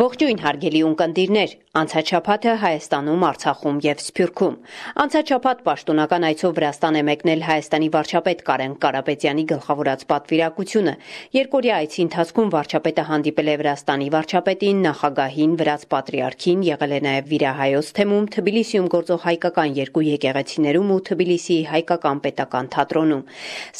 Ողջույն հարգելի ունկնդիրներ, անցաչափաթը Հայաստանում, Արցախում եւ Սփյուռքում։ Անցաչափաթ պաշտոնական այցով Վրաստան է մեկնել Հայաստանի վարչապետ Կարեն Կարապետյանի գլխավորած պատվիրակությունը։ Երկօրյա այցի ընթացքում վարչապետը հանդիպել է Վրաստանի վարչապետին, նախագահին, Վրաց պատրիարքին, եղել է նաեւ Վիրահայոց թեմում, Թբիլիսիում գործող հայկական երկու եկեղեցիներում ու Թբիլիսիի հայկական պետական թատրոնում։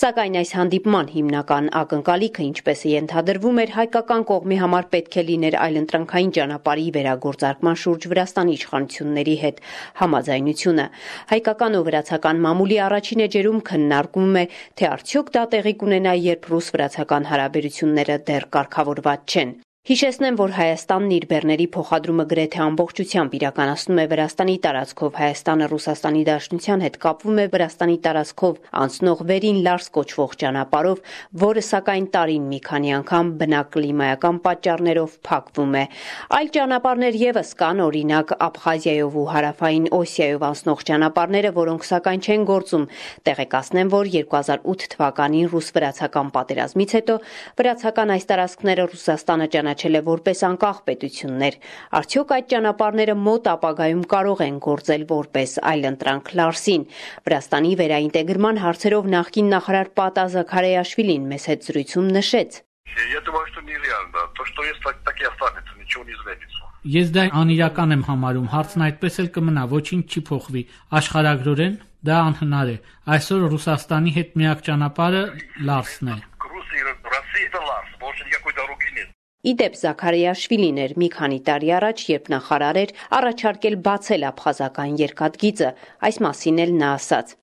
Սակայն այս հանդիպման հիմնական ակնկալիքը, ինչպես է ենթադրվում, էր հայկական կողմի համար պետք է լիներ այլընտրանքային ճանապարհի վերագործարկման շուրջ Վրաստանի իշխանությունների հետ համաձայնությունը։ Հայկական ու վրացական մամուլի առաջին էջերում քննարկվում է, թե արդյոք դա տեղի կունենա, երբ ռուս-վրացական հարաբերությունները դեռ կարգավորված չեն։ Հիշեցնեմ, որ Հայաստանն իր բեռների փոխադրումը գրեթե ամբողջությամբ իրականացնում է Վրաստանի տարածքով, Հայաստանը Ռուսաստանի Դաշնության հետ կապվում է Վրաստանի տարածքով անցնող վերին Լարս կոչվող ճանապարհով, որը սակայն տարին մի քանի անգամ բնակլիմայական պատճառներով փակվում է։ Այլ ճանապարհներ եւս կան, օրինակ Աբխազիայով ու Հարավային Օսիայով անցնող ճանապարհները, որոնք սակայն չեն գործում։ Տեղեկացնեմ, որ 2008 թվականին ռուս-վրացական պատերազմից հետո վրացական այս տարածքները Ռուսաստանը ճանաչել է որպես անկախ պետություններ։ Արդյոք այդ ճանապարհները մոտ ապագայում կարող են գործել որպես այլընտրանք Լարսին։ Վրաստանի վերաինտեգրման հարցերով նախկին նախարար Պատա Զաքարիաշվիլին մեծ հետ զրույցում նշեց. Ես դա անիրական եմ համարում, հարցն այդպես էլ կմնա, ոչինչ չի փոխվի։ Աշխարհագրորեն դա անհնար է։ Այսօր Ռուսաստանի հետ միակ ճանապարհը Լարսն է։ Իդեպ Զաքարիաշվիլին էր մի քանի տարի առաջ, երբ նախարար էր, առաջարկել բացել աբխազական երկաթգիծը, այս մասին էլ նա ասաց.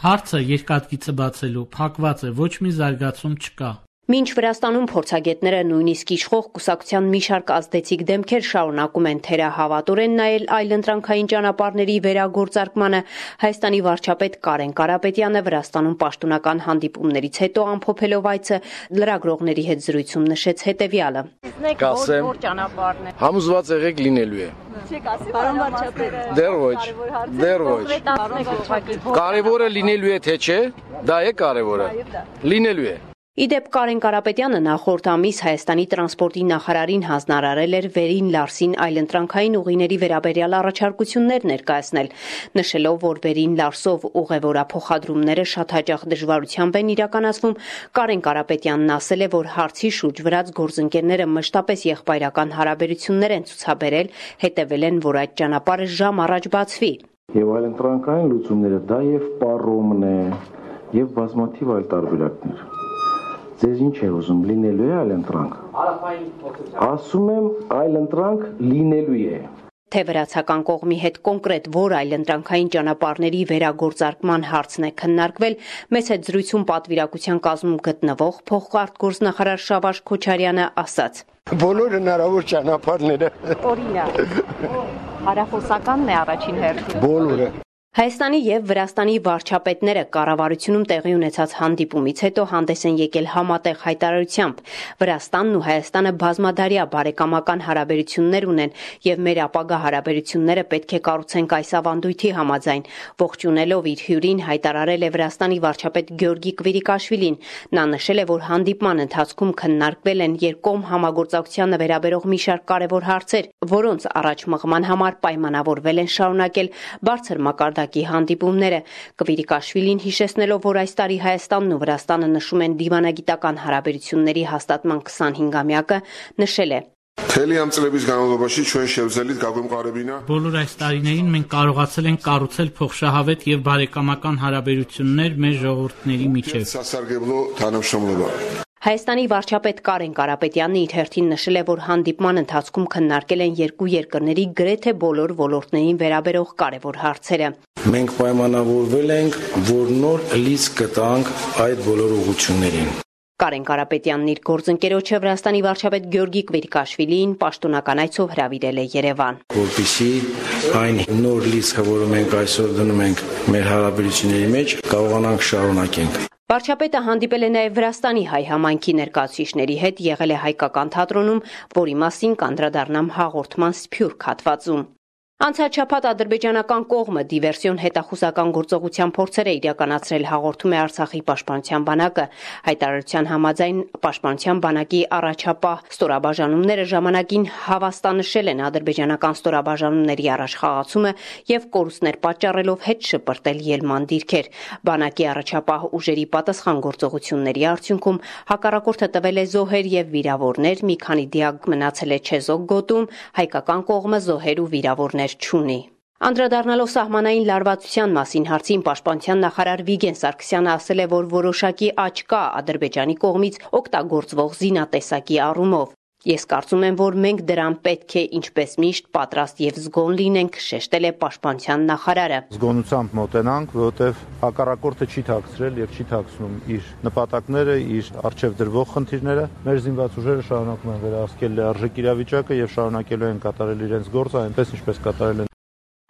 Հարցը երկաթգիծը բացելու փակված է, ոչ մի զարգացում չկա։ Մինչ Վրաստանում փորձագետները նույնիսկ իշխող կուսակցության մի շարք ազդեցիկ դեմքեր շարունակում են թերահավատորեն նայել այլընտրանքային ճանապարհների վերագործարկմանը, Հայաստանի վարչապետ Կարեն Կարապետյանը Վրաստանում պաշտոնական հանդիպումներից հետո ամփոփելով այցը լրագրողների հետ զրույցում նշեց հետևյալը. Կասեմ, համոզված եղեք լինելու է։ Պարոն վարչապետ, Դեռ ոչ։ Կարևորը լինելու է թե չէ, դա է կարևորը։ Լինելու է։ Իդեպ Կարեն Կարապետյանը նախորդ ամիս Հայաստանի տրանսպորտի նախարարին հանձնարարել էր վերին Լարսին այլընտրանքային ուղիների վերաբերյալ առաջարկություններ ներկայացնել, նշելով, որ վերին Լարսով ուղևորափոխադրումները շատ հաճախ դժվարությամբ են իրականացվում, Կարեն Կարապետյանն ասել է, որ հարցի շուրջ վրաց գործընկերները մշտապես եղբայրական հարաբերություններ են ցուցաբերել, հետևել են, որ այդ ճանապարհը ժամ առաջ բացվի։ Եվ այլընտրանքային լուծումները դա եւ պարոմն է, եւ բազմաթիվ այլ տարբերակներ։ Ձեզ ինչ է ուզում, լինելու է այլընտրանք։ Ասում եմ, այլընտրանք լինելու է։ Թե վրացական կողմի հետ կոնկրետ որ այլընտրանքային ճանապարհների վերագործարկման հարցն է քննարկվել, մեծ հետ զրույցում պատվիրակության կազմում գտնվող փոխարտգործնախարար Շավարժ Քոչարյանը ասաց. Բոլոր հնարավոր ճանապարհները։ օրինակ, հարախոսականն է առաջին հերթին։ Բոլորը։ Հայաստանի եւ Վրաստանի վարչապետները կառավարությունում տեղի ունեցած հանդիպումից հետո հանդես են եկել համատեղ հայտարարությամբ։ Վրաստանն ու Հայաստանը բազմադարյա բարեկամական հարաբերություններ ունեն եւ մեր ապագա հարաբերությունները պետք է կառուցենք այս ավանդույթի համաձայն։ Ողջունելով իր հյուրին հայտարարել է Վրաստանի վարչապետ Գյորգի Կվիրիկաշվիլին։ Նա նշել է, որ հանդիպման ընթացքում քննարկվել են երկկողմ համագործակցությանը վերաբերող մի շարք կարևոր հարցեր, որոնց առաջ մղման համար պայմանավորվել են շարունակել բարձր մակարդակի հանդիպումները։ Կվիրիկաշվիլին հիշեցնելով, որ այս տարի Հայաստանն ու Վրաստանը նշում են դիվանագիտական հարաբերությունների հաստատման 25-ամյակը, նշել է. Բոլոր այս տարիներին մենք կարողացել ենք կառուցել փոխշահավետ եւ բարեկամական հարաբերություններ մեր ժողովուրդների միջեւ։ Հայաստանի վարչապետ Կարեն Կարապետյանն իր հերթին նշել է, որ հանդիպման ընթացքում քննարկել են երկու երկրների գրեթե բոլոր ոլորտներին վերաբերող կարևոր հարցերը։ Մենք պայմանավորվել ենք, որ նոր լիցք կտանք այդ բոլոր ուղղություններին։ Կարեն Կարապետյանն իր գործընկերոջը Վրաստանի վարչապետ Գյորգի Կվիրիկաշվիլիին պաշտոնական այցով հրավիրել է Երևան։ Որպեսզի այն նոր լիցքը, որը մենք այսօր դնում ենք մեր հարաբերությունների մեջ, կարողանանք շարունակենք։ Վարչապետը հանդիպել է նաև Վրաստանի հայ համայնքի ներկայացուցիչների հետ, եղել է հայկական թատրոնում, որի մասին կանդրադառնամ հաղորդման Սփյուռք հատվածում։ Անցած շաբաթ ադրբեջանական կողմը դիվերսիոն հետախուզական գործողության փորձեր է իրականացրել, հաղորդում է Արցախի պաշտպանության բանակը։ Հայտարարության համաձայն պաշտպանության բանակի առաջապահ ստորաբաժանումները ժամանակին հավաստանշել են ադրբեջանական ստորաբաժանումների առաջխաղացումը եւ կորուստներ պատճառելով հետ շպրտել ելման դիրքեր։ Բանակի առաջապահ ուժերի պատասխան գործողությունների արդյունքում հակառակորդը տվել է զոհեր եւ վիրավորներ, մի քանի դիակ մնացել է Չեզոք գոտում, հայկական կողմը զոհեր ու վիրավորներ չունի։ Անդրադառնալով սահմանային լարվածության մասին հարցին պաշտպանության նախարար Վիգեն Սարգսյանը ասել է, որ որոշակի աճ կա Ադրբեջանի կողմից օգտագործվող զինատեսակի առումով։ Ես կարծում եմ, որ մենք դրան պետք է ինչպես միշտ պատրաստ եւ զգոն լինենք, շեշտել է պաշտպանության նախարարը։ Զգոնությամբ մոտենանք, որովհետեւ հակառակորդը չի թաքցրել եւ չի թաքցնում իր նպատակները, իր արժեվ դրվող խնդիրները։ Մեր զինված ուժերը շարունակում են վերահսկել լիարժեք իրավիճակը եւ շարունակելու են կատարել իրենց գործը այնպես ինչպես կատարել են։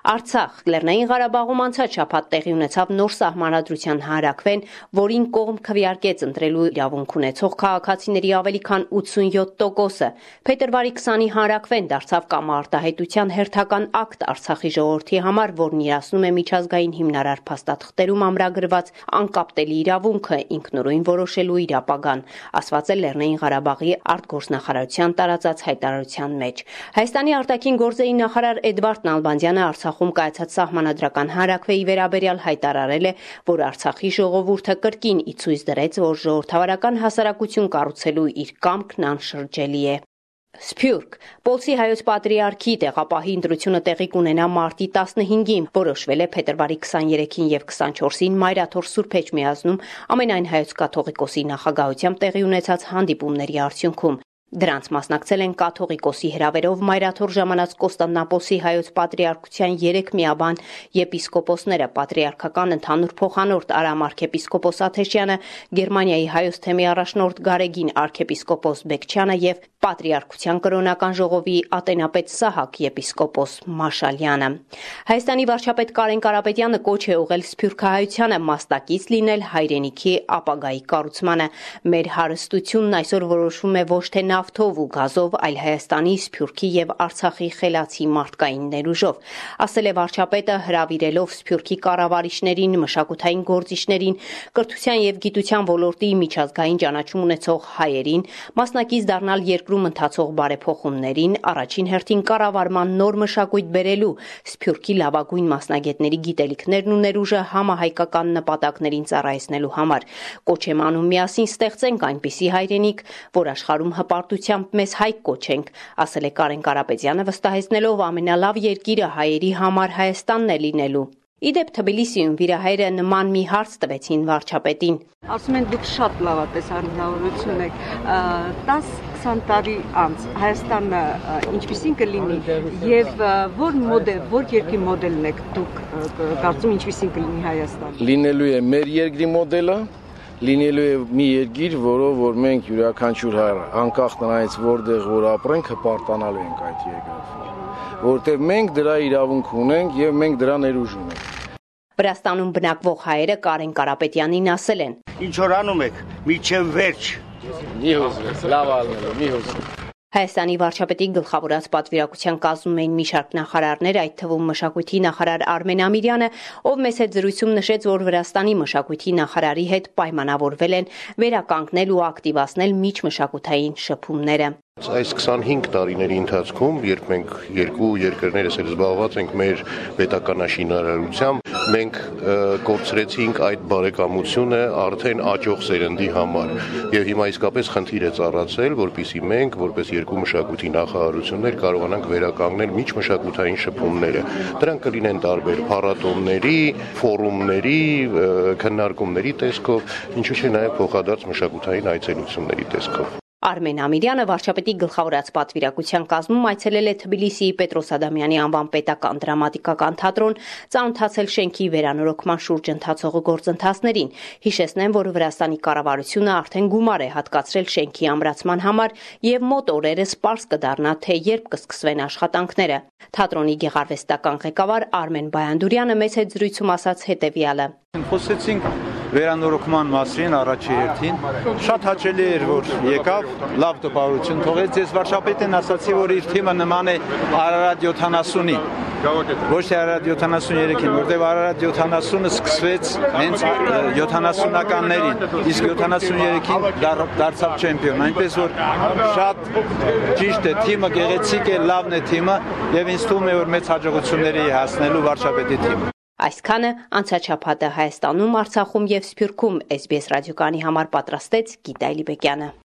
Արցախ Լեռնային Ղարաբաղում անցած շաբաթ տեղի ունեցավ նոր սահմանադրության հանրաքվեն, որին կողմ քվեարկեց ընտրելու իրավունք ունեցող քաղաքացիների ավելի քան 87%-ը։ Փետրվարի 20-ի հանրաքվեն դարձավ կամարտահայտության հերթական ակտ Արցախի ժողովրդի համար, որն իրացնում է միջազգային հիմնարար փաստաթղթերում ամրագրված անկապտելի իրավունքը ինքնուրույն որոշելու իր ապագան, ասված է Լեռնային Ղարաբաղի արտգործնախարարության տարածած հայտարարության մեջ։ Հայաստանի արտաքին գործերի նախարար Էդվարդ Նալբանդյանը Արցախում կայացած սահմանադրական հանրաքվեի վերաբերյալ հայտարարել է, որ Արցախի ժողովուրդը կրկին ի ցույց դրեց, որ ժողովրդավարական հասարակություն կառուցելու իր կամքն անշրջելի է։ Սփյուռք Պոլսի հայոց պատրիարքի տեղապահի ընտրությունը տեղի կունենա մարտի 15-ին, որոշվել է փետրվարի 23-ին եւ 24-ին Մայրաթոր Սուրբ Էջմիածնում ամենայն հայոց կաթողիկոսի նախագահությամբ տեղի ունեցած հանդիպումների արդյունքում։ Դրանց մասնակցել են կաթողիկոսի հրավերով Մայրաթոր ժամանած Կոստանդնապոլսի հայոց պատրիարքության 3 միաբան եպիսկոպոսները, պատրիարքական ընդհանուր փոխանորդ Արամ arczepiskopos Աթեշյանը, Գերմանիայի հայոց թեմի առաջնորդ Գարեգին arczepiskopos Բեկչյանը եւ պատրիարքության կրոնական ժողովի ատենապետ Սահակ եպիսկոպոս Մաշալյանը։ Հայաստանի վարչապետ Կարեն Կարապետյանը կոչ է ուղղել սփյուռքահայությանը մասնակից լինել հայրենիքի ապագայի կառուցմանը։ Մեր հարստությունն այսօր որոշվում է ոչ թե նավթով ու գազով, այլ Հայաստանի, Սփյուռքի եւ Արցախի խելացի մարդկային ներուժով, ասել է վարչապետը հրավիրելով Սփյուռքի կառավարիչներին, մշակութային գործիչներին, կրթության եւ գիտության ոլորտի միջազգային ճանաչում ունեցող հայերին, մասնակից դառնալ երկրում ընթացող բարեփոխումներին, առաջին հերթին կառավարման նոր մշակույթ բերելու, Սփյուռքի լավագույն մասնագետների գիտելիքներն ու ներուժը համահայկական նպատակներին ծառայեցնելու համար։ Կոչ եմ անում միասին ստեղծենք այնպիսի հայրենիք, որ աշխարհում հպարտությամբ մեզ հայք կոչենք, ասել է Կարեն Կարապետյանը, վստահեցնելով ամենալավ երկիրը հայերի համար Հայաստանն է լինելու։ Իդեպ Թբիլիսիում վիրահայրը նման մի հարց տվեցին վարչապետին։ Ասում են դուք շատ լավատես անձնավորություն եք, 10-20 տարի անց Հայաստանը ինչպիսին կլինի եւ որ երկրի մոդելն եք դուք կարծում ինչպիսին կլինի Հայաստանը։ Լինելու է մեր երկրի մոդելը, լինելու է մի երկիր, որով որ մենք յուրաքանչյուր հայ անկախ նրանից որտեղ որ ապրենք, հպարտանալու ենք այդ երկրով, որտեղ մենք դրա իրավունք ունենք եւ մենք դրա ներուժ ունենք։ Վրաստանում բնակվող հայերը Կարեն Կարապետյանին ասել են. Ինչ որ անում եք, միջև վերջ։ Մի հուզվեք, լավ ալնելու, մի հուզվեք։ Հայաստանի վարչապետի գլխավորած պատվիրակության կազմում էին մի շարք նախարարներ, այդ թվում մշակույթի նախարար Արմեն Ամիրյանը, ով մեծ հետ զրույցում նշեց, որ Վրաստանի մշակույթի նախարարի հետ պայմանավորվել են վերականգնել ու ակտիվացնել միջմշակութային շփումները։ Այս 25 տարիների ընթացքում, երբ մենք երկու երկրներս էլ զբաղված ենք մեր պետականաշինարարությամբ, մենք կորցրեցինք այդ բարեկամությունը արդեն աճող սերնդի համար։ Եվ հիմա իսկապես խնդիր է ծառացել, որպեսզի մենք, որպես երկու մշակույթի նախարարություններ, կարողանանք վերականգնել միջմշակութային շփումները։ Դրանք կլինեն տարբեր փառատոների, ֆորումների, քննարկումների տեսքով, ինչու՞ չէ նաև փոխադարձ մշակութային այցելությունների տեսքով։ Արմեն Ամիրյանը վարչապետի գլխավորած պատվիրակության կազմում այցելել է Թբիլիսիի Պետրոս Ադամյանի անվան պետական դրամատիկական թատրոն, ծանոթացել շենքի վերանորոգման շուրջ ընթացող գործընթացներին։ Հիշեցնեմ, որ Վրաստանի կառավարությունը արդեն գումար է հատկացրել շենքի ամրացման համար եւ մոտ օրերս պարզ կդառնա, թե երբ կսկսվեն աշխատանքները։ Թատրոնի գեղարվեստական ղեկավար Արմեն Բայանդուրյանը մեծ հետ զրույցում ասաց հետեւյալը. Խոսեցինք վերանորոգման մասին առաջի հերթին։ Շատ հաճելի էր, որ եկավ, լավ տպավորություն թողեց։ Ես վարչապետին ասացի, որ իր թիմը նման է Արարատ 70-ի։ Ոչ թե Արարատ 73-ին, որտեղ Արարատ 70-ը սկսվեց հենց 70-ականներին, իսկ 73-ին դարձավ չեմպիոն, այնպես որ շատ ճիշտ է, թիմը գեղեցիկ է, լավն է թիմը եւ ինձ թվում է, որ մեծ հաջողությունների հասնելու վարչապետի թիմը։ Այսքանը անցաչափատը Հայաստանում, Արցախում եւ Սփյուռքում SBS ռադիոկայանի համար պատրաստեց Գիտա Իլիբեկյանը։